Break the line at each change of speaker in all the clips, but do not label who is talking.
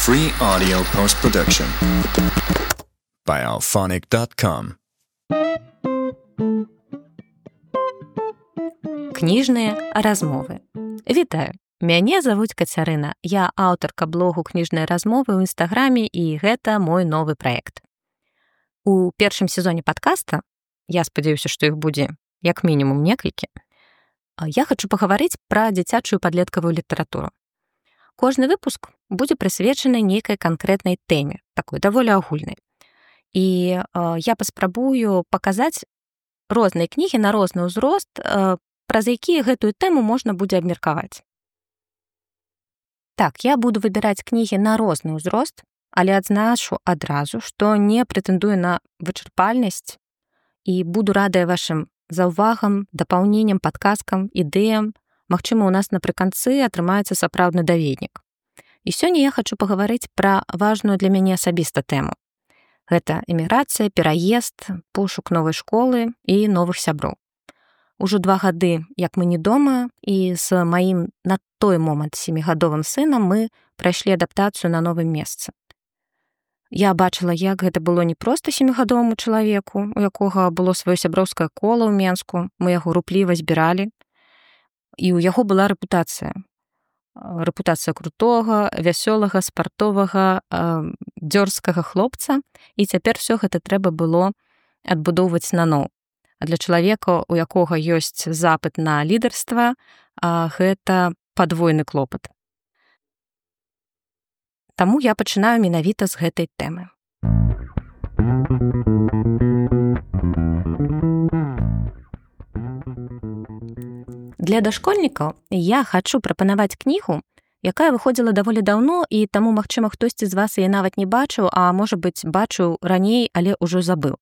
Free audio post-production by alphonic.com.
Кніжныя размовы. Вітаю. Мяне завуць Кацярына. Я аўтарка блогу «Кніжныя размовы» ў Інстаграме, і гэта мой новы праект. У першым сезоне падкаста, я спадзяюся, што іх будзе як мінімум некалькі, я хачу пагаварыць пра дзіцячую падлеткавую літаратуру. Кожны выпуск будзе прысвечаны нейкай канкрэтнай тэме, такой даволі агульнай. І я паспрабую паказаць розныя кнігі на розны ўзрост, праз якія гэтую тэму можна будзе абмеркаваць. Так, я буду выбіраць кнігі на розны ўзрост, але адзначу адразу, што не прэтэндую на вычарпальнасць і буду радая вашым заўвагам, дапаўненням, падказкам, ідэям. Магчыма, у нас напрыканцы атрымаецца сапраўдны даведнік. І сёння я хачу пагаварыць пра важную для мяне асабіста тэму. Гэта эміграцыя, пераезд, пошук новай школы і новых сяброў. Ужо 2 гады, як мы не дома, і з маім на той момант 7гадовым сынам мы прайшлі адаптацыю на новым месцы. Я бачыла, як гэта было не проста 7гадоваму чалавеку, у якога было сваё сяброўскае кола ў Менску, мы яго рупліва збіралі, і ў яго была рэпутацыя. Рэпутацыя крутога, вясёлага, спартовага, дзёрзкага хлопца, і цяпер всё гэта трэба было адбудоўваць наноў. А для чалавека, у якога ёсць запыт на лідарства, гэта падвойны клопат. Таму я пачынаю менавіта з гэтай тэмы. Для дашкольнікаў я хачу прапанаваць кнігу, якая выходзіла даволі даўно, і таму, магчыма, хтосьці з вас яе нават не бачыў, а можа быць, бачыў раней, але ўжо забыў.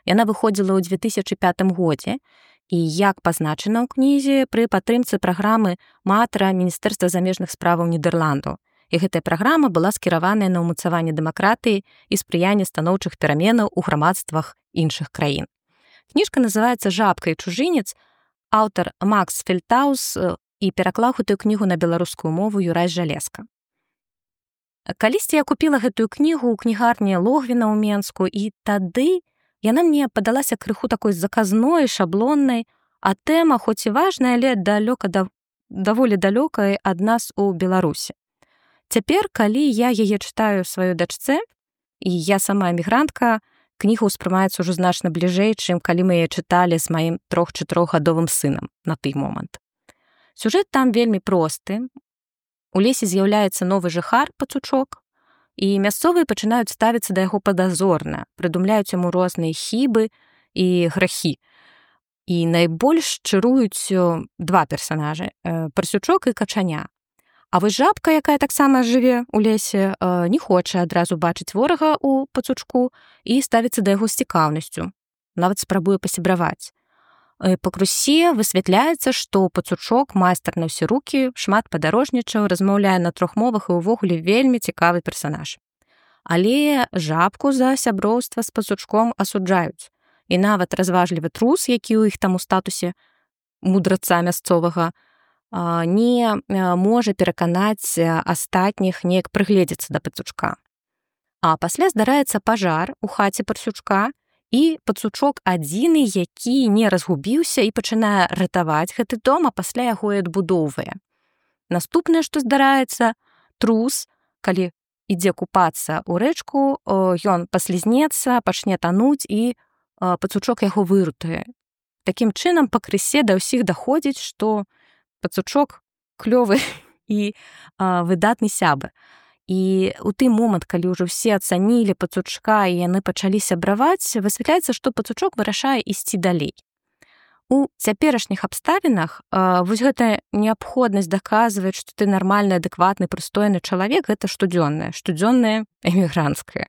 Яна выходзіла ў 2005 годзе, і як пазначана ў кнізе, пры падтрымцы праграмы МАТРА Міністэрства замежных справаў Нідерландаў. І гэтая праграма была скіраваная на ўмацаванне дэмакратыі і спрыянне станоўчых пераменаў у грамадствах іншых краін. Кніжка называецца «Жабка і чужынец», аўтар Макс Фельтаус, і пераклаў гэтую кнігу на беларускую мову Юрай Жалезка. Калісьці я купіла гэтую кнігу ў кнігарні Логвіна ў Менску, і тады яна мне падалася крыху такой заказной, шаблоннай, а тэма, хоць і важная, але даволі далёкая ад нас у Беларусі. Цяпер, калі я яе чытаю сваёй дачцэ, і я сама эмігрантка, кніга ўспрымаецца ўжо значна бліжэй, чым калі мы яе чыталі з маім 3-4гадовым сынам на той момант. Сюжэт там вельмі просты. У лесе з'яўляецца новы жыхар, пацучок, і мясцовыя пачынаюць ставіцца да яго падазорна, прыдумляюць яму розныя хібы і грахі. І найбольш чаруюць 2 персанажы – Парсючок і Качаня. А вось жабка, якая таксама жыве ў лесе, не хоча адразу бачыць ворага ў пацучку і ставіцца да яго з цікаўнасцю. Нават спрабуе пасябраваць. Пакрусе высвятляецца, што пацучок майстар на ўсе рукі, шмат падарожнічаў, размаўляе на 3 мовах і ўвогуле вельмі цікавы персанаж. Але жабку за сяброўства з пацучком асуджаюць. І нават разважлівы трус, які ў іх там у статусе мудраца мясцовага, не можа пераканаць астатніх неяк прыгледзецца да пацучка. А пасля здараецца пажар у хаце Парсючка, і пацучок адзіны, які не разгубіўся і пачынае ратаваць гэты дом, а пасля яго і адбудоўвае. Наступнае, што здараецца, трус, калі ідзе купацца ў рэчку, ён паслізнецца, пачне тануць, і пацучок яго выратуе. Такім чынам, пакрысе да ўсіх даходзіць, што пацучок клёвы і выдатны сябар. І ў той момант, калі ўжо ўсе ацанілі пацучка і яны пачалі сябраваць, высвятляецца, што пацучок вырашае ісці далей. У цяперашніх абставінах вось гэтая неабходнасць даказваць, што ты нармальны, адэкватны, прыстойны чалавек, гэта штодзённае эмігранцкае.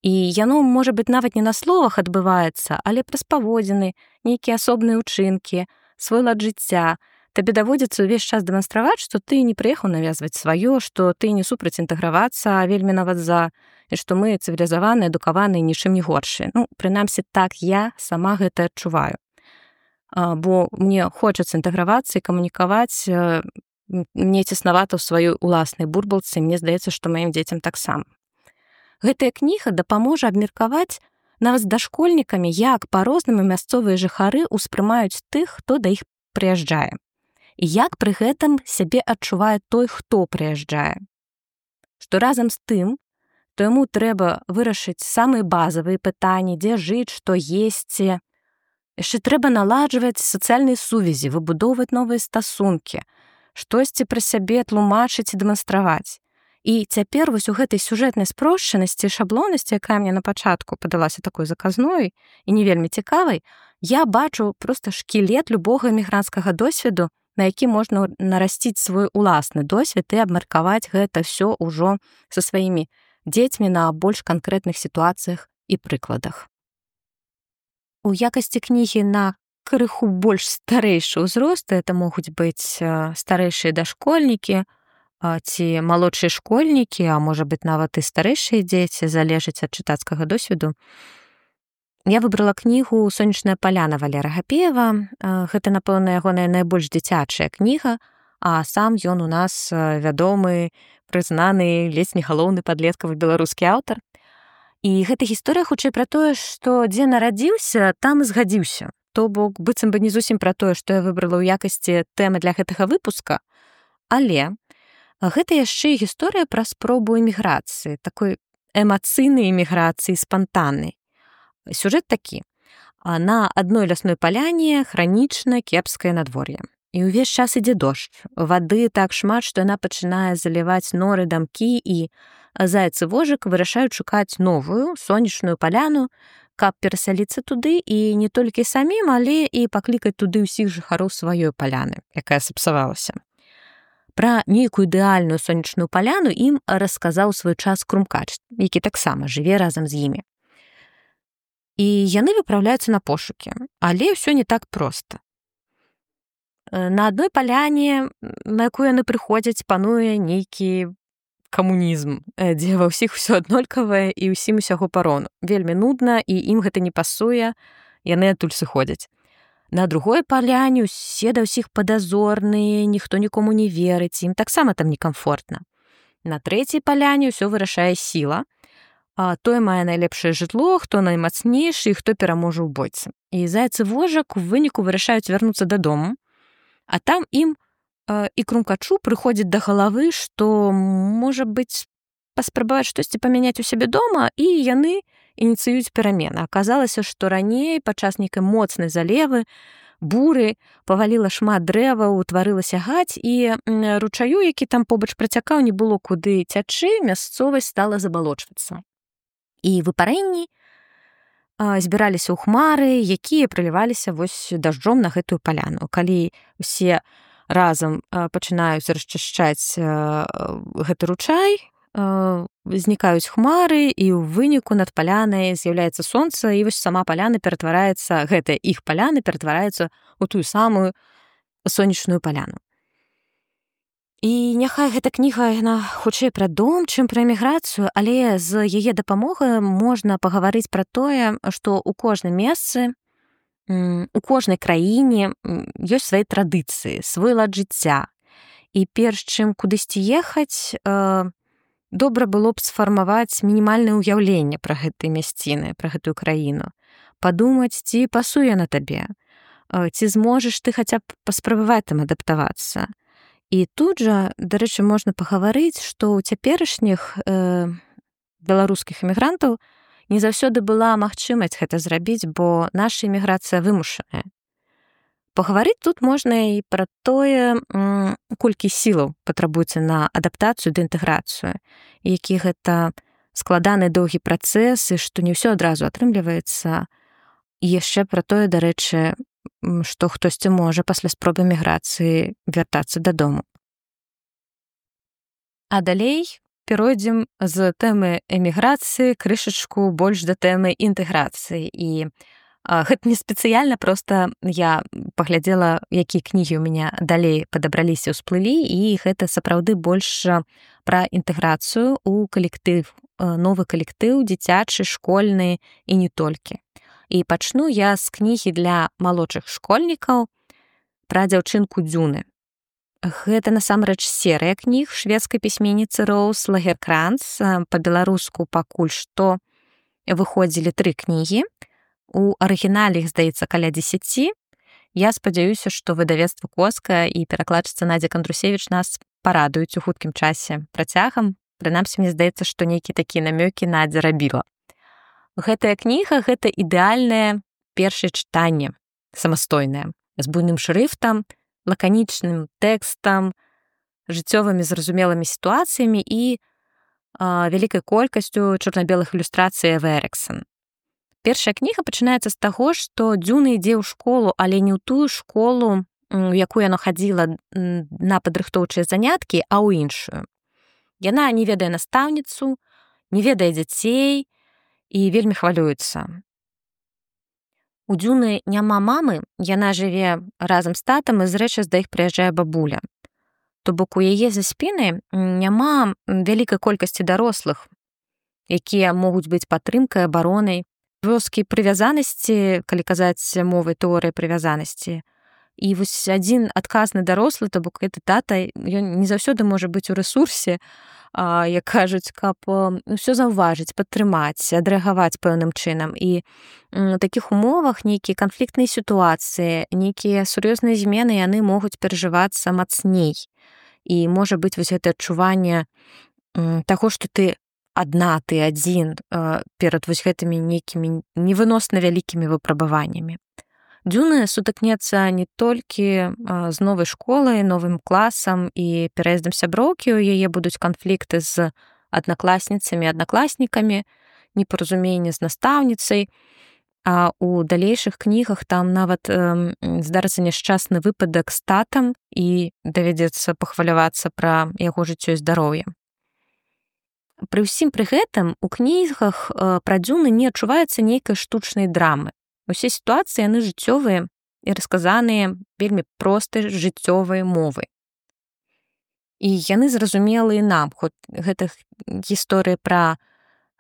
І яно, можа быць, нават не на словах адбываецца, але праз паводзіны, нейкія асобныя ўчынкі, свой лад жыцця. Табе даводзіцца ўвесь час дэманстраваць, што ты не прыехаў навязваць сваё, што ты не супраць інтэгравацца, а вельмі нават за, і што мы цывілізаваныя, адукаваныя, нічым не горшыя. Прынамсі, так я сама гэта адчуваю. Бо мне хочацца інтэгравацца і камунікаваць мне цеснавата ў сваёй уласнай бурбалцы, мне здаецца, што маім дзецям таксама. Гэтая кніга дапаможа абмеркаваць нават з дашкольнікамі, як па-рознаму мясцовыя жыхары ўспрымаюць тых, хто да іх прыязджае. І як пры гэтым сябе адчувае той, хто прыязджае. Што разам з тым, то яму трэба вырашыць самыя базавыя пытанні, дзе жыць, што есці. Яшчэ трэба наладжваць сацыяльныя сувязі, выбудоўваць новыя стасункі, штосьці пра сябе тлумачыць і дэманстраваць. І цяпер вось у гэтай сюжэтнай спрошчанасці, шаблоннасці, якая мне на пачатку падалася такой заказной і не вельмі цікавай, я бачу проста шкілет любога эмігранцкага досведу, на які можна нарасціць свой уласны досвед і абмеркаваць гэта ўсё ўжо са сваімі дзецьмі на больш канкрэтных сітуацыях і прыкладах. У якасці кнігі на крыху больш старэйшы ўзрост, это могуць быць старэйшыя дашкольнікі, ці малодшыя школьнікі, а можа быць нават і старэйшыя дзеці, залежыць ад чытацкага досведу. Я выбрала кнігу «Сонечная паляна» Валера Гапеева. Гэта, напэўна, ягоная найбольш дзіцячая кніга, а сам ён у нас вядомы, прызнаны, ледзь не галоўны падлеткавы беларускі аўтар. І гэта гісторыя хутчэй пра тое, што дзе нарадзіўся, там і згадзіўся. То бок, быццам бы не зусім пра тое, што я выбрала ў якасці тэмы для гэтага выпуска, але гэта яшчэ і гісторыя пра спробу эміграцыі, такой эмацыйнай эміграцыі, спантаннай. Сюжэт такі. На адной лясной паляне хранічна кепскае надвор'е. І ўвесь час ідзе дождж. Вады так шмат, што яна пачынае заліваць норы, дамкі, і заяц і вожык вырашаюць шукаць новую сонечную паляну, каб перасяліцца туды і не толькі самім, але і паклікаць туды ўсіх жыхароў сваёй паляны, якая сапсавалася. Пра нейкую ідэальную сонечную паляну ім расказаў свой час Крумкач, які таксама жыве разам з імі. І яны выпраўляюцца на пошукі, але ўсё не так проста. На адной паляне, на якую яны прыходзяць, пануе нейкі камунізм, дзе ва ўсіх усё аднолькавае і ўсім усяго парону. Вельмі нудна, і ім гэта не пасуе, яны адтуль сыходзяць. На другой паляне усе да ўсіх падазорныя, ніхто нікому не верыць, ім таксама там некамфортна. На трэцяй паляне ўсё вырашае сіла, а той мае найлепшае жытло, хто наймацнейшы і хто пераможа ў бойцы. І заяц і вожак у выніку вырашаюць вярнуцца дадому, а там ім і Крумкачу прыходзіць да галавы, што, можа быць, паспрабаваць штосьці памяняць у сябе дома, і яны ініцыююць перамены. Аказалася, што раней падчас нейкай моцнай залевы, буры, паваліла шмат дрэваў, утварылася гаць, і ручаю, які там побач працякаў, не было куды цячы, мясцовасць стала забалочвацца. І выпарэнні збіраліся ў хмары, якія прыліваліся вось дажджом на гэтую паляну. Калі усе разам пачынаюць расчышчаць гэты ручай, знікаюць хмары, і ў выніку над палянай з'яўляецца сонца, і вось сама паляна ператвараецца, гэтая іх паляна ператвараецца ў тую самую сонечную паляну. І няхай гэта кніга, яна хутчэй пра дом, чым пра эміграцыю, але з яе дапамогай можна пагаварыць пра тое, што ў кожным месцы, у кожнай краіне ёсць свае традыцыі, свой лад жыцця. І перш чым кудысьці ехаць, добра было б сфармаваць мінімальнае ўяўленне пра гэтыя мясціны, пра гэтую краіну. Падумаць, ці пасуе на табе, ці зможаш ты хаця б паспрабаваць там адаптавацца. І тут жа, дарэчы, можна пагаварыць, што ў цяперашніх беларускіх эмігрантаў не заўсёды была магчымасць гэта зрабіць, бо наша эміграцыя вымушаная. Пагаварыць тут можна і пра тое, колькі сілаў патрабуецца на адаптацыю ды інтэграцыю, які гэта складаны доўгі працэс, і што не ўсё адразу атрымліваецца. І яшчэ пра тое, дарэчы, што хтосьці можа пасля спробы міграцыі вяртацца дадому. А далей перайдзем з тэмы эміграцыі крышачку больш да тэмы інтэграцыі. І гэта не спецыяльна, проста я паглядзела, якія кнігі ў мяне далей падабраліся, ўсплылі, і гэта сапраўды больш пра інтэграцыю ў калектыў, новы калектыў, дзіцячы, школьны і не толькі. І пачну я з кнігі для малодшых школьнікаў пра дзяўчынку Дзюны. Гэта насамрэч серыя кніг шведскай пісьменніцы Роуз Лагеркранц. Па-беларуску пакуль што выходзілі 3 кнігі. У арыгінале іх, здаецца, каля 10. Я спадзяюся, што выдавецтва «Коска» і перакладчыца Надзя Кандрусевіч нас парадуюць у хуткім часе працягам. Прынамсі, мне здаецца, што нейкія такія намёкі Надзя рабіла. Гэтая кніга — гэта ідэальнае першае чытанне, самастойнае, з буйным шрыфтам, лаканічным тэкстам, жыццёвымі зразумелымі сітуацыямі і вялікай колькасцю чорна-белых ілюстрацый Эвы Эрыксон. Першая кніга пачынаецца з таго, што Дзюна ідзе ў школу, але не ў тую школу, у якую яна хадзіла на падрыхтоўчыя заняткі, а ў іншую. Яна не ведае настаўніцу, не ведае дзяцей і вельмі хвалюецца. У Дзюны няма мамы, яна жыве разам з татам, і зрэчы да іх прыязджае бабуля. То бок у яе за спінай няма вялікай колькасці дарослых, якія могуць быць падтрымкай, абаронай, вёскі прывязанасці, калі казаць мовай тэорыі прывязанасці. І вось адзін адказны дарослы, то бок гэты тата, ён не заўсёды можа быць у рэсурсе, як кажуць, каб усё заўважыць, падтрымаць, адрэагаваць пэўным чынам. І у такіх умовах нейкія канфліктныя сітуацыі, нейкія сур'ёзныя змены, яны могуць перажывацца мацней. І можа быць вось гэта адчуванне таго, што ты адна, ты адзін перад вось гэтымі нейкімі невыносна вялікімі выпрабаваннямі. Дзюна сутыкнецца не толькі з новай школай, новым класам і пераездам сяброўкі, у яе будуць канфлікты з аднакласніцамі, аднакласнікамі, непаразуменне з настаўніцай, а у далейшых кнігах там нават здарыцца няшчасны выпадак з татам і давядзецца пахвалявацца пра яго жыццё і здароўе. Пры ўсім пры гэтым у кнігах пра Дзюны не адчуваецца нейкай штучнай драмы. Усе сітуацыі яны жыццёвыя і расказаныя вельмі простай жыццёвай мовай. І яны зразумелыя нам, хоць гэта гісторыя пра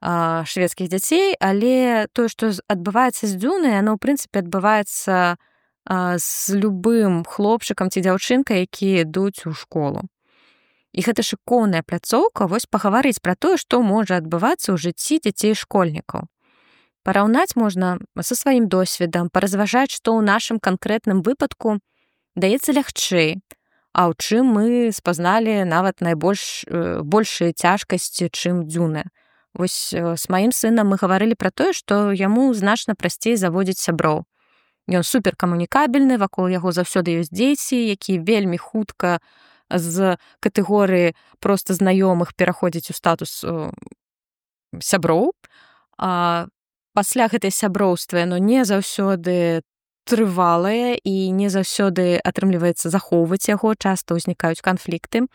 шведскіх дзяцей, але тое, што адбываецца з Дзюнай, яно, ў прынцыпе, адбываецца з любым хлопчыкам ці дзяўчынкай, якія ідуць у школу. І гэта шыкоўная пляцоўка вось пагаварыць пра тое, што можа адбывацца ў жыцці дзяцей-школьнікаў. Параўнаць можна са сваім досведам, паразважаць, што ў нашым канкрэтным выпадку даецца лягчэй, а ў чым мы спазналі нават большыя цяжкасці, чым Дзюна. Вось з маім сынам мы гаварылі пра тое, што яму значна прасцей заводзіць сяброў. Ён суперкамунікабельны, вакол яго заўсёды ёсць дзеці, якія вельмі хутка з катэгорыі проста знаёмых пераходзяць у статус сяброў. Пасля гэтай сяброўства яно не заўсёды трывалае і не заўсёды атрымліваецца захоўваць яго, часта ўзнікаюць канфлікты.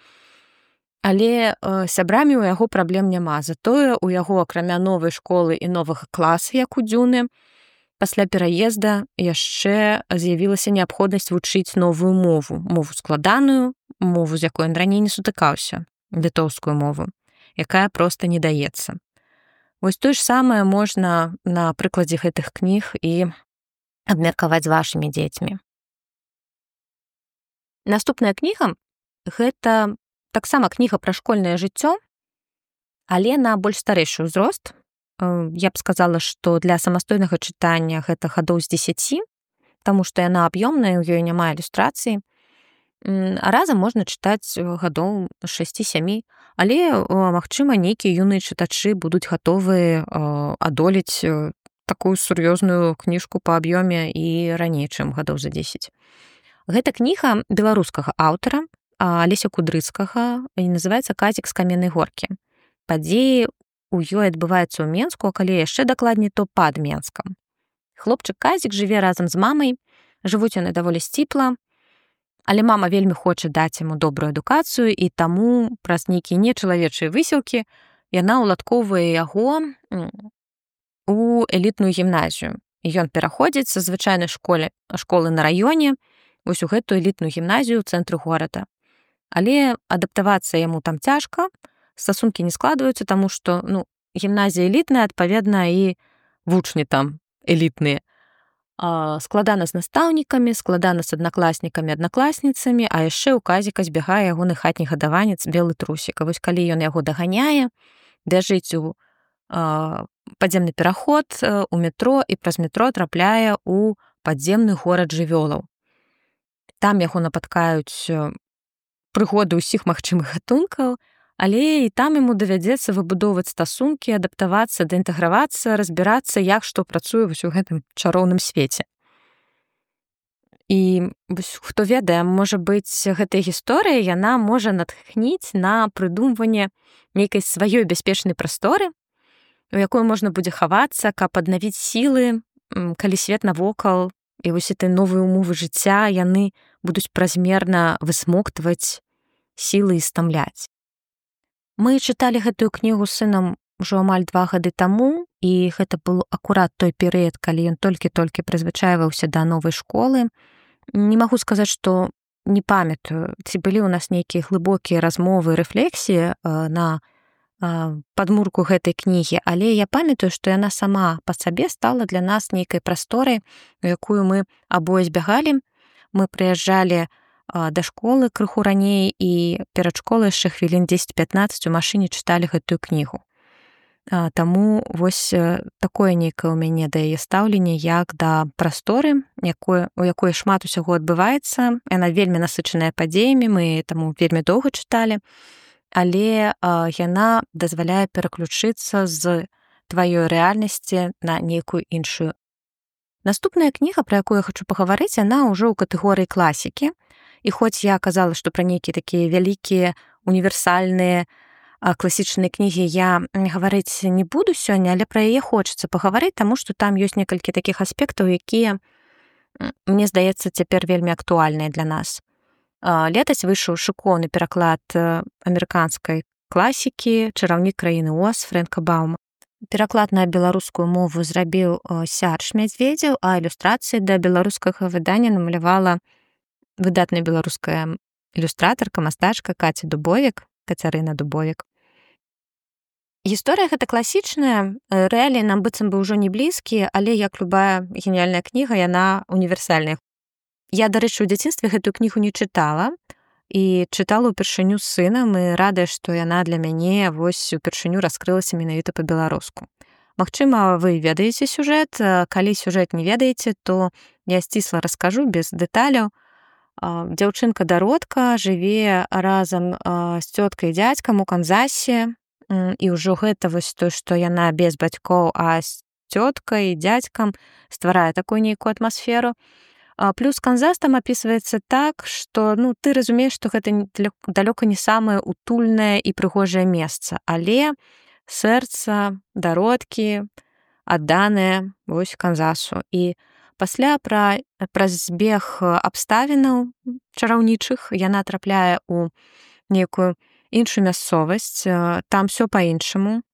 Але сябрамі ў яго праблем няма. Затое ў яго, акрамя новай школы і новага класа, як у Дзюны, пасля пераезда яшчэ з'явілася неабходнасць вучыць новую мову. Мову складаную, мову, з якой ён раней не сутыкаўся, літоўскую мову, якая проста не даецца. Вось тое ж самае можна на прыкладзе гэтых кніг і абмеркаваць з вашымі дзецьмі. Наступная кніга — гэта таксама кніга пра школьнае жыццё, але на больш старэйшы ўзрост. Я б сказала, што для самастойнага чытання гэта гадоў з 10, таму што яна аб'ёмная, у ёй няма ілюстрацыі. А разам можна чытаць гадоў 6-7, але, магчыма, нейкія юныя чытачы будуць гатовыя адолець такую сур'ёзную кніжку па аб'ёме і раней, чым гадоў за 10. Гэта кніга беларускага аўтара Алеся Кудрыцкага і называецца «Казік з каменнай горкі». Падзеі у ёй адбываюцца ў Менску, а калі яшчэ дакладней, то пад Менскам. Хлопчык Казік жыве разам з мамай, жывуць яны даволі сціпла, але мама вельмі хоча даць яму добрую адукацыю, і таму праз нейкія нечалавечыя высілкі яна ўладкоўвае яго у элітную гімназію. І ён пераходзіць са звычайнай школы на раёне вось у гэтую элітную гімназію ў цэнтры горада. Але адаптавацца яму там цяжка, стасункі не складваюцца, таму што гімназія элітная, адпаведна, і вучні там элітныя. Складана з настаўнікамі, складана з аднакласнікамі, аднакласніцамі, а яшчэ ў казіка збягае ягоны хатні гадаванец белы трусік. А вось калі ён яго даганяе, бяжыць у падземны пераход, у метро і праз метро трапляе ў падземны горад жывёлаў. Там яго напаткаюць прыгоды ўсіх магчымых гатункаў, але і там яму давядзецца выбудоўваць стасункі, адаптавацца, даінтэгравацца, разбірацца, як што працуе вось у гэтым чароўным свеце. І хто ведае, можа быць, гэтая гісторыя, яна можа натхніць на прыдумванне нейкай сваёй бяспечнай прасторы, у якой можна будзе хавацца, каб аднавіць сілы, калі свет навокал і вось этой новыя умовы жыцця, яны будуць празмерна высмоктваць сілы і стамляць. Мы чыталі гэтую кнігу з сынам ужо амаль 2 гады таму, і гэта быў акурат той перыяд, калі ён толькі-толькі прызвычайваўся да новай школы. Не магу сказаць, што не памятаю, ці былі ў нас нейкія глыбокія размовы, рэфлексіі на падмурку гэтай кнігі, але я памятаю, што яна сама па сабе стала для нас нейкай прасторай, у якую мы абое збягалі. Мы прыязджалі да школы крыху раней і перад школай яшчэ хвілін 10-15 у машыне чыталі гэтую кнігу. Таму вось такое нейкае ў мяне да яе стаўленне, як да прасторы, у якой шмат усяго адбываецца. Яна вельмі насычаная падзеямі, мы таму вельмі доўга чыталі, але яна дазваляе пераключыцца з тваёй рэальнасці на нейкую іншую. Наступная кніга, пра якую я хачу пагаварыць, яна ўжо ў катэгорыі класікі. І хоць я казала, што пра нейкія такія вялікія, універсальныя, класічныя кнігі я гаварыць не буду сёння, але пра яе хочацца пагаварыць, таму што там ёсць некалькі такіх аспектаў, якія, мне здаецца, цяпер вельмі актуальныя для нас. Летась выйшаў шыкоўны пераклад амерыканскай класікі «Чараўнік краіны Оз» Фрэнка Баума. Пераклад на беларускую мову зрабіў Сярж Мядзведзеў, а ілюстрацыі да беларускага выдання намалявала выдатная беларуская ілюстратарка, мастачка Кацярына Дубовік. Гісторыя гэта класічная, рэаліі нам быццам бы ўжо не блізкія, але як любая геніяльная кніга, яна універсальная. Я, дарэчы, у дзяцінстве гэтую кнігу не чытала і чытала ўпершыню з сынам, і радая, што яна для мяне вось упершыню раскрылася менавіта па-беларуску. Магчыма, вы ведаеце сюжэт, калі сюжэт не ведаеце, то я сцісла раскажу без дэталяў. Дзяўчынка-дародка жыве разам з цёткай і дзядзькам у Канзасе, і ўжо гэта вось то, што яна без бацькоў, а з цёткай і дзядзькам стварае такую нейкую атмасферу. Плюс Канзас там апісваецца так, што ты разумееш, што гэта далёка не самае утульнае і прыгожае месца, але сэрца дародкі адданае вось Канзасу. І пасля праз збег абставінаў чараўнічых яна трапляе ў нейкую іншую мясцовасць, там всё па-іншаму,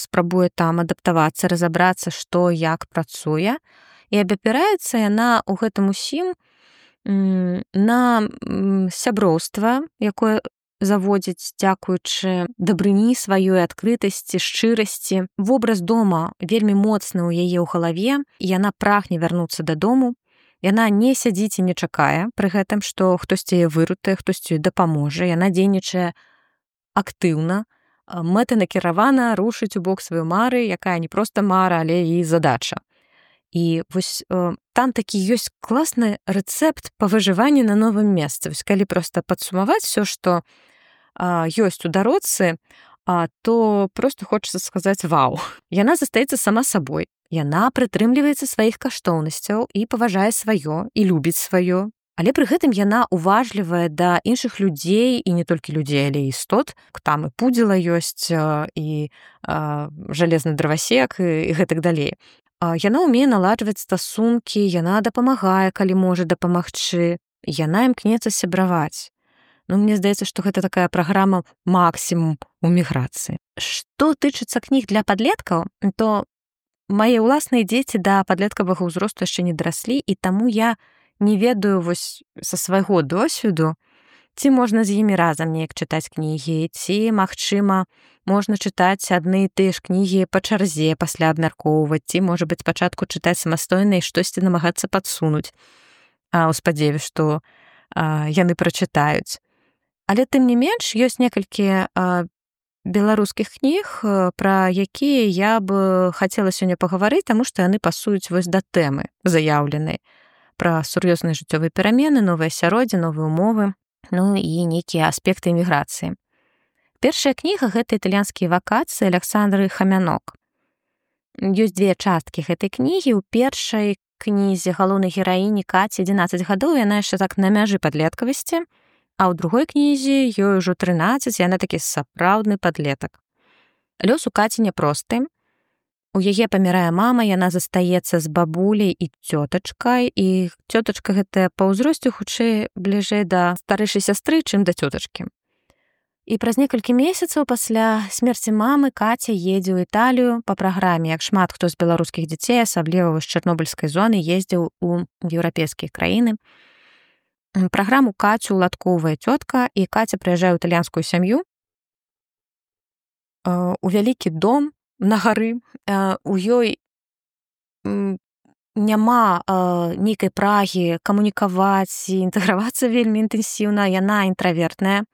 спрабуе там адаптавацца, разабрацца, што як працуе, і абапіраецца яна ў гэтым усім на сяброўства, якое заводзіць дзякуючы дабрыні сваёй, адкрытасці, шчырасці. Вобраз дома вельмі моцны ў яе ў галаве, і яна прагне вярнуцца дадому. Яна не сядзіць і не чакае пры гэтым, што хтосьці яе вырутае, хтосьці дапаможа. Яна дзейнічае актыўна, мэтанакіравана рушыць у бок сваёй мары, якая не проста мара, але і задача. І вось там такі ёсць класны рэцэпт па выжыванні на новым месцы. Вось калі проста падсумаваць всё, што ёсць у дародцы, то просто хочацца сказаць вау. Яна застаецца сама сабой. Яна прытрымліваецца сваіх каштоўнасцяў і паважае сваё, і любіць сваё. Але пры гэтым яна уважлівая да іншых людзей, і не толькі людзей, але і істот. Там і пудзіла ёсць, і жалезны дровасек, і гэтак далей. Яна ўмее наладжваць стасункі, яна дапамагае, калі можа дапамагчы. Яна імкнецца сябраваць. Мне здаецца, што гэта такая праграма максімум у міграцыі. Што тычыцца кніг для падлеткаў, то мае ўласныя дзеці да падлеткавага ўзросту яшчэ не дараслі, і таму я не ведаю вось са свайго досведу, Ці можна з імі разам неяк чытаць кнігі, ці, магчыма, можна чытаць адны і тыя ж кнігі па чарзе, пасля абмяркоўваць, ці, можа быць, спачатку чытаць самастойна і штосьці намагацца падсунуць, у спадзеве, што яны прачытаюць. Але тым не менш, ёсць некалькі беларускіх кніг, пра якія я б хацела сёння пагаварыць, таму што яны пасуюць вось да тэмы заяўленай, пра сур'ёзныя жыццёвыя перамены, новае асяроддзе, новыя ўмовы, ну і нейкія аспекты эміграцыі. Першая кніга — гэта італьянскія вакацыі Аляксандры Хамянок. Ёсць две часткі гэтай кнігі. У першай кнізе галоўнай гераіні Каці 11 гадоў, яна яшчэ так на мяжы падлеткавасці, а ў другой кнізе ёй ужо 13, яна такі сапраўдны падлетак. Лёс у Каці няпросты. У яе памірае мама, яна застаецца з бабуляй і цётачкай, і цётачка гэтая па ўзросце хутчэй бліжэй да старэйшай сястры, чым да цётачкі. І праз некалькі месяцаў пасля смерці мамы Каця едзе ў Італію па праграме, як шмат хто з беларускіх дзяцей, асабліва з чарнобыльскай зоны, ездзіў у еўрапейскія краіны. Праграму Кацю уладкоўвае цётка, і Каця прыязджае ў італьянскую сям'ю, у вялікі дом на гары. У ёй няма нейкай прагі камунікаваць і інтэгравацца вельмі інтэнсіўна, яна інтравертная.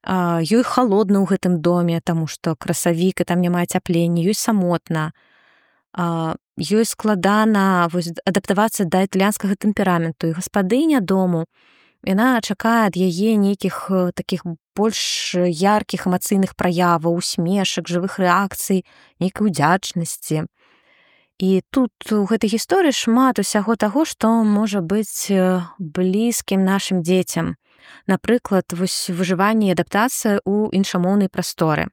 Ёй халодна ў гэтым доме, таму што красавік, і там няма ацяплення, ёй самотна. Ёй складана адаптавацца да італьянскага тэмпераменту, і гаспадыня дому, яна чакае ад яе нейкіх такіх больш яркіх эмацыйных праяваў, усмешак, жывых рэакцый, нейкай удзячнасці. І тут у гэтай гісторыі шмат усяго таго, што можа быць блізкім нашым дзецям. Напрыклад, вось выжыванне і адаптацыя ў іншамоўнай прасторы.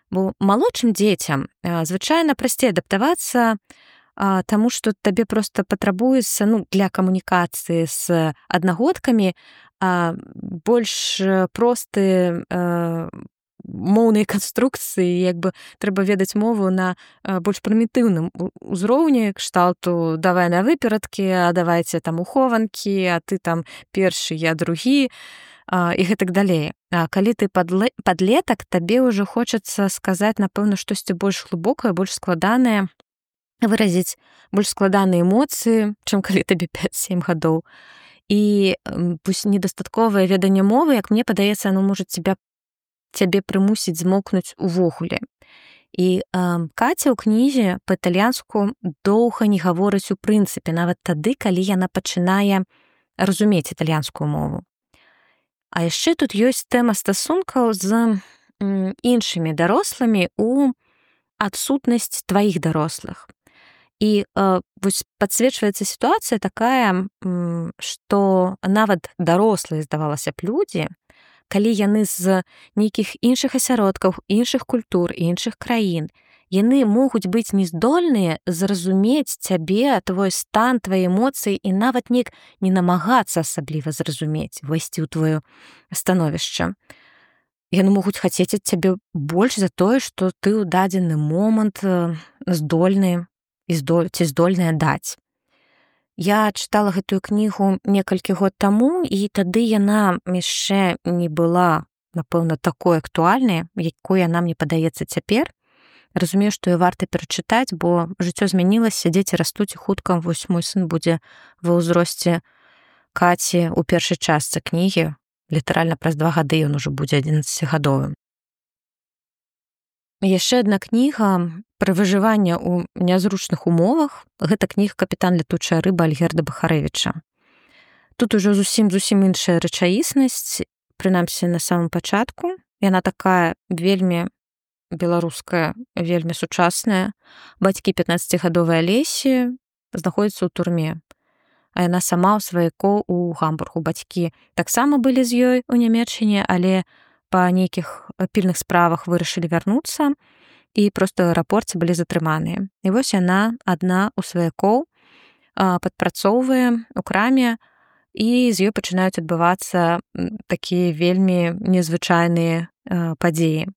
Бо малодшым дзецям звычайна прасцей адаптавацца, таму што табе проста патрабуецца, для камунікацыі з аднагодкамі больш просты моўнай канструкцыі, як бы трэба ведаць мову на больш прымітыўным узроўні, кшталту давай на выперадкі, а давайце там ухованкі, а ты там першы, я другі, і гэтак далей. А калі ты падлетак, табе ўжо хочацца сказаць, напэўна, штосьці больш глыбокае, больш складанае, выразіць больш складаныя эмоцыі, чым калі табе 5-7 гадоў. І недастатковае веданне мовы, як мне падаецца, оно можа цябе прымусіць змокнуць увогуле. І Каця ў кнізе па-італьянску доўга не гаворыць у прынцыпе, нават тады, калі яна пачынае разумець італьянскую мову. А яшчэ тут ёсць тэма стасункаў з іншымі дарослымі ў адсутнасць тваіх дарослых. І вось падсвечваецца сітуацыя такая, што нават дарослыя, здавалася б, людзі, калі яны з нейкіх іншых асяродкаў, іншых культур, іншых краін, яны могуць быць нездольныя зразумець цябе, твой стан, твае эмоцыі, і нават неяк не намагацца асабліва зразумець, увайсці ў твоё становішча. Яны могуць хацець ад цябе больш за тое, што ты ў дадзены момант здольны ці здольная даць. Я чытала гэтую кнігу некалькі год таму, і тады яна яшчэ не была, напэўна, такой актуальнай, якой яна мне падаецца цяпер. Разумею, што і варта перачытаць, бо жыццё змянілася, дзеці растуць, і хутка вось мой сын будзе ва ўзросце Каці ў першай частцы кнігі. Літаральна праз 2 гады ён ужо будзе 11-гадовым. Яшчэ адна кніга пра выжыванне ў нязручных умовах. Гэта кніга «Капітан лятучая рыба» Альгерда Бахарэвіча. Тут ужо зусім іншая рэчаіснасць, прынамсі на самым пачатку. Яна такая вельмі беларуская, вельмі сучасная. Бацькі 15-гадовай Алесі знаходзяцца ў турме, а яна сама ў сваякоў у Гамбургу. Бацькі таксама былі з ёй у Нямецчыне, але па нейкіх пільных справах вырашылі вярнуцца, і проста ў аэрапорце былі затрыманыя. І вось яна адна ў сваякоў падпрацоўвае у краме, і з ёй пачынаюць адбывацца такія вельмі незвычайныя падзеі.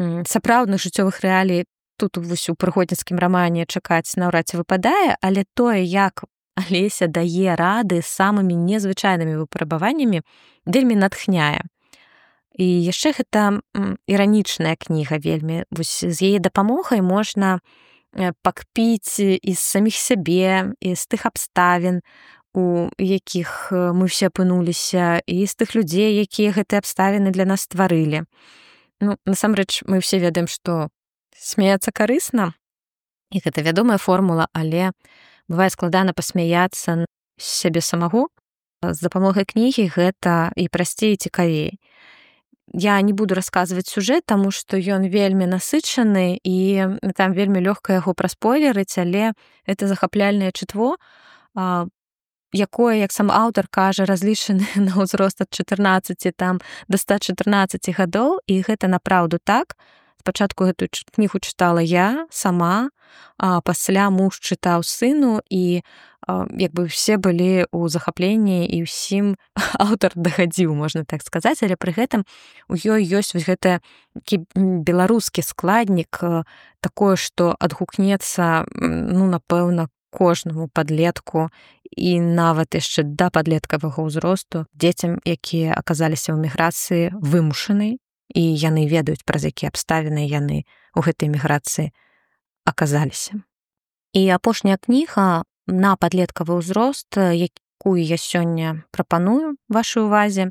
Сапраўдных жыццёвых рэалій тут вось у прыгодніцкім рамане чакаць наўрад ці выпадае, але тое, як Алеся дае рады з самымі незвычайнымі выпрабаваннямі, вельмі натхняе. І яшчэ гэта іранічная кніга вельмі. Вось з яе дапамогай можна пакпіць і з саміх сябе, і з тых абставін, у якіх мы ўсе апынуліся, і з тых людзей, якія гэтыя абставіны для нас стварылі. Насамрэч, мы ўсе ведаем, што смяяцца карысна, і гэта вядомая формула, але бывае складана пасмяяцца з сябе самого. З дапамогай кнігі гэта і прасцей, і цікавей. Я не буду расказваць сюжэт, таму што ён вельмі насычаны, і там вельмі лёгка яго праспойлерыць, але гэта захапляльнае чытво, якое, як сам аўтар кажа, разлічаны на ўзрост ад 14 до 114 гадоў, і гэта напраўду так. Спачатку гэтую кнігу чытала я сама, а пасля муж чытаў сыну, і як бы все былі ў захапленні, і ўсім аўтар дагадзіў, можна так сказаць, але пры гэтым у ёй ёсць вось гэта беларускі складнік, такое, што адгукнецца, напэўна, кожнаму падлетку і нават яшчэ да падлеткавага ўзросту, дзецям, якія аказаліся ў міграцыі вымушанай, і яны ведаюць, праз якія абставіны яны ў гэтай міграцыі аказаліся. І апошняя кніга на падлеткавы ўзрост, якую я сёння прапаную вашай увазе,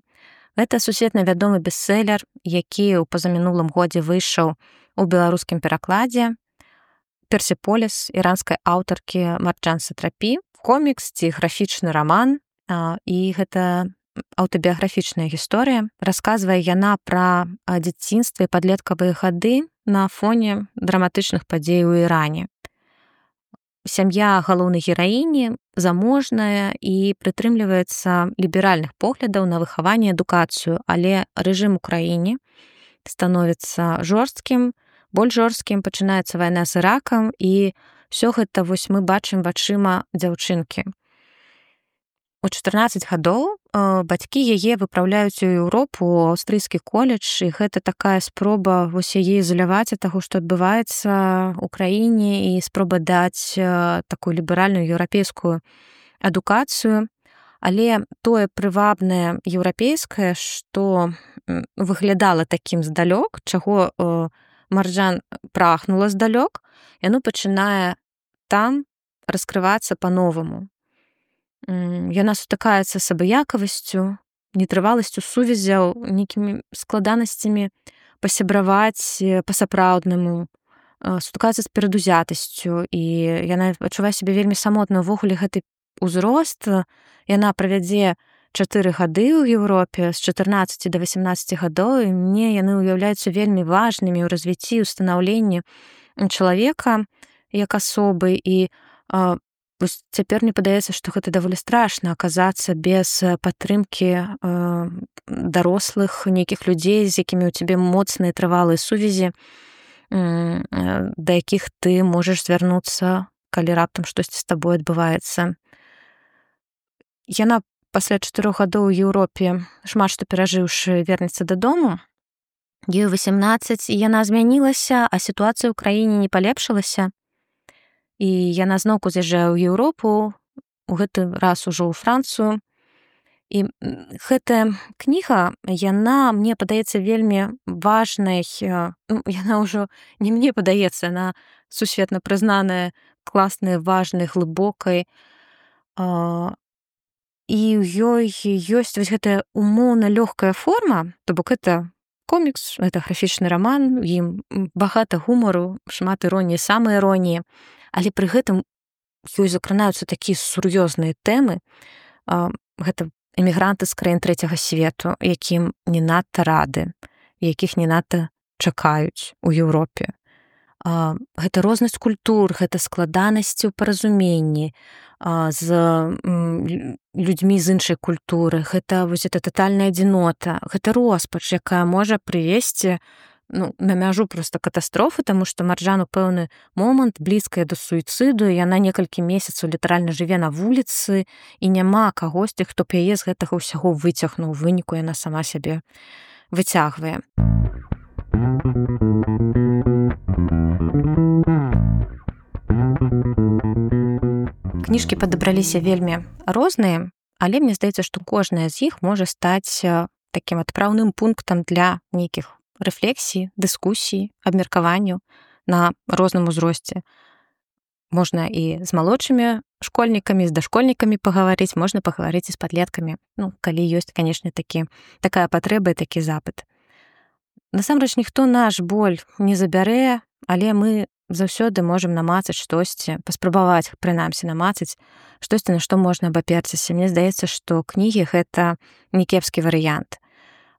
гэта сусветна вядомы бестселер, які ў пазамінулым годзе выйшаў у беларускім перакладзе, «Персеполіс» іранскай аўтаркі Марджан Сатрапі, комікс ці графічны раман, і гэта аўтабіяграфічная гісторыя. Расказвае яна пра дзяцінства і падлеткавыя гады на фоне драматычных падзей у Іране. Сям'я галоўнай гераіні заможная і прытрымліваецца ліберальных поглядаў на выхаванне і адукацыю, але рэжым у краіне становіцца жорсткім, больш жорсткім, пачынаецца вайна з Іракам, і ўсё гэта вось мы бачым вачыма дзяўчынкі. У 14 гадоў бацькі яе выпраўляюць у Еўропу, у аўстрыйскі коледж, і гэта такая спроба вось яе ізаляваць ад таго, што адбываецца ў краіне, і спроба даць такую ліберальную еўрапейскую адукацыю. Але тое прывабнае еўрапейскае, што выглядала такім здалёк, чаго Марджан прагнула здалёк, яно пачынае там раскрывацца па-новаму. Яна сутыкаецца з абыякавасцю, нетрываласцю сувязяў, нейкімі складанасцямі пасябраваць па-сапраўднаму, сутыкаецца з перадузятасцю, і яна адчувае сябе вельмі самотна. Увогуле гэты ўзрост яна правядзе 4 гады ў Еўропе, з 14 до 18 гадоў, і мне яны ўяўляюцца вельмі важнымі ў развіцці, ў станаўленні чалавека як асобы, і цяпер мне падаецца, што гэта даволі страшна аказацца без падтрымкі дарослых нейкіх людзей, з якімі ў цябе моцныя трывалыя сувязі, да якіх ты можаш звярнуцца, калі раптам штосьці з табой адбываецца. Яна пасля 4 гадоў у Еўропе, шмат што перажыўшы, вернецца дадому. Ёй 18, і яна змянілася, а сітуацыя ў краіне не палепшылася. І яна зноўку з'язджае ў Еўропу, у гэты раз ужо ў Францыю. І гэтая кніга, яна, мне падаецца, вельмі важнай, яна ўжо не мне падаецца, яна сусветна прызнаная, класная, важнай, глыбокай. І ў ёй ёсць вось гэтая умоўна лёгкая форма, то бок гэта комікс, гэта графічны раман, у ім багата гумару, шмат іроніі, самаіроніі. Але пры гэтым ёй закранаюцца такія сур'ёзныя тэмы. Гэта эмігранты з краін трэцяга свету, якім не надта рады, якіх не надта чакаюць у Еўропе. Гэта рознасць культур, гэта складанасці ў паразуменні з людзьмі з іншай культуры, гэта вось гэта татальная адзінота, гэта роспач, якая можа прывесці на мяжу проста катастрофы, таму што Марджан у пэўны момант блізкая да суіцыду, і яна некалькі месяцаў літаральна жыве на вуліцы, і няма кагосьці, хто б яе з гэтага ўсяго выцягнуў. У выніку яна сама сябе выцягвае. Кніжкі падабраліся вельмі розныя, але мне здаецца, што кожная з іх можа стаць такім адпраўным пунктам для нейкіх рэфлексій, дыскусій, абмеркаванняў на розным узросце. Можна і з малодшымі школьнікамі, з дашкольнікамі пагаварыць, можна пагаварыць і з падлеткамі. Калі ёсць, канешне, такая патрэба і такі запыт. Насамрэч, ніхто наш боль не забярэ, але мы заўсёды можам намацаць штосьці, паспрабаваць, прынамсі, намацаць штосьці, на што можна абаперціся. Мне здаецца, што кнігі — гэта не кепскі варыянт.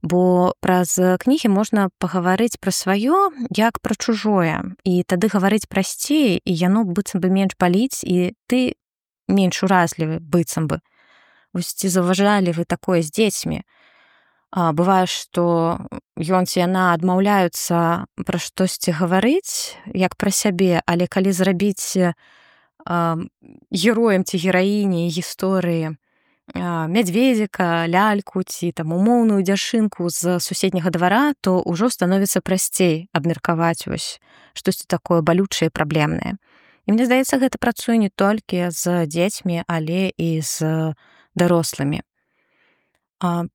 Бо праз кнігі можна пагаварыць пра сваё, як пра чужое. І тады гаварыць прасцей, і яно быццам бы менш баліць, і ты менш уразлівы быццам бы. Вось ці заўважалі вы такое з дзецьмі? Бывае, што ён ці яна адмаўляюцца пра штосьці гаварыць, як пра сябе, але калі зрабіць героем ці гераіняй гісторыі мядзведзіка, ляльку ці умоўную дзяшынку з суседняга двара, то ўжо становіцца прасцей абмеркаваць вось штосьці такое балючае і праблемнае. І мне здаецца, гэта працуе не толькі з дзецьмі, але і з дарослымі.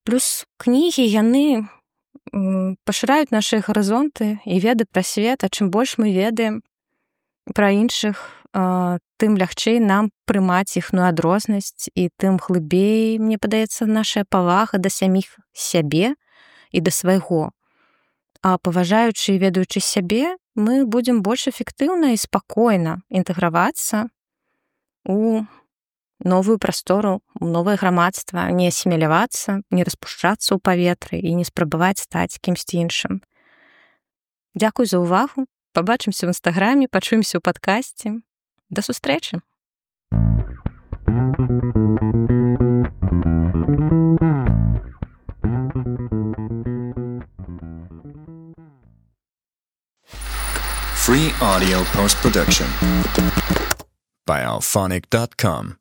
Плюс кнігі, яны пашыраюць нашы гарызонты і веды пра свет, а чым больш мы ведаем пра іншых, тым лягчэй нам прымаць іхную адрознасць, і тым глыбей, мне падаецца, наша павага да саміх сябе і да свайго. А паважаючы і ведаючы сябе, мы будзем больш эфектыўна і спакойна інтэгравацца у новую прастору, у новае грамадства, не асімілявацца, не распушчацца ў паветры і не спрабаваць стаць кімсьці іншым. Дзякуй за ўвагу. Пабачымся ў інстаграме, пачуемся ў падкасці. Да сустрэчы!
Free audio post-production by alphonic.com.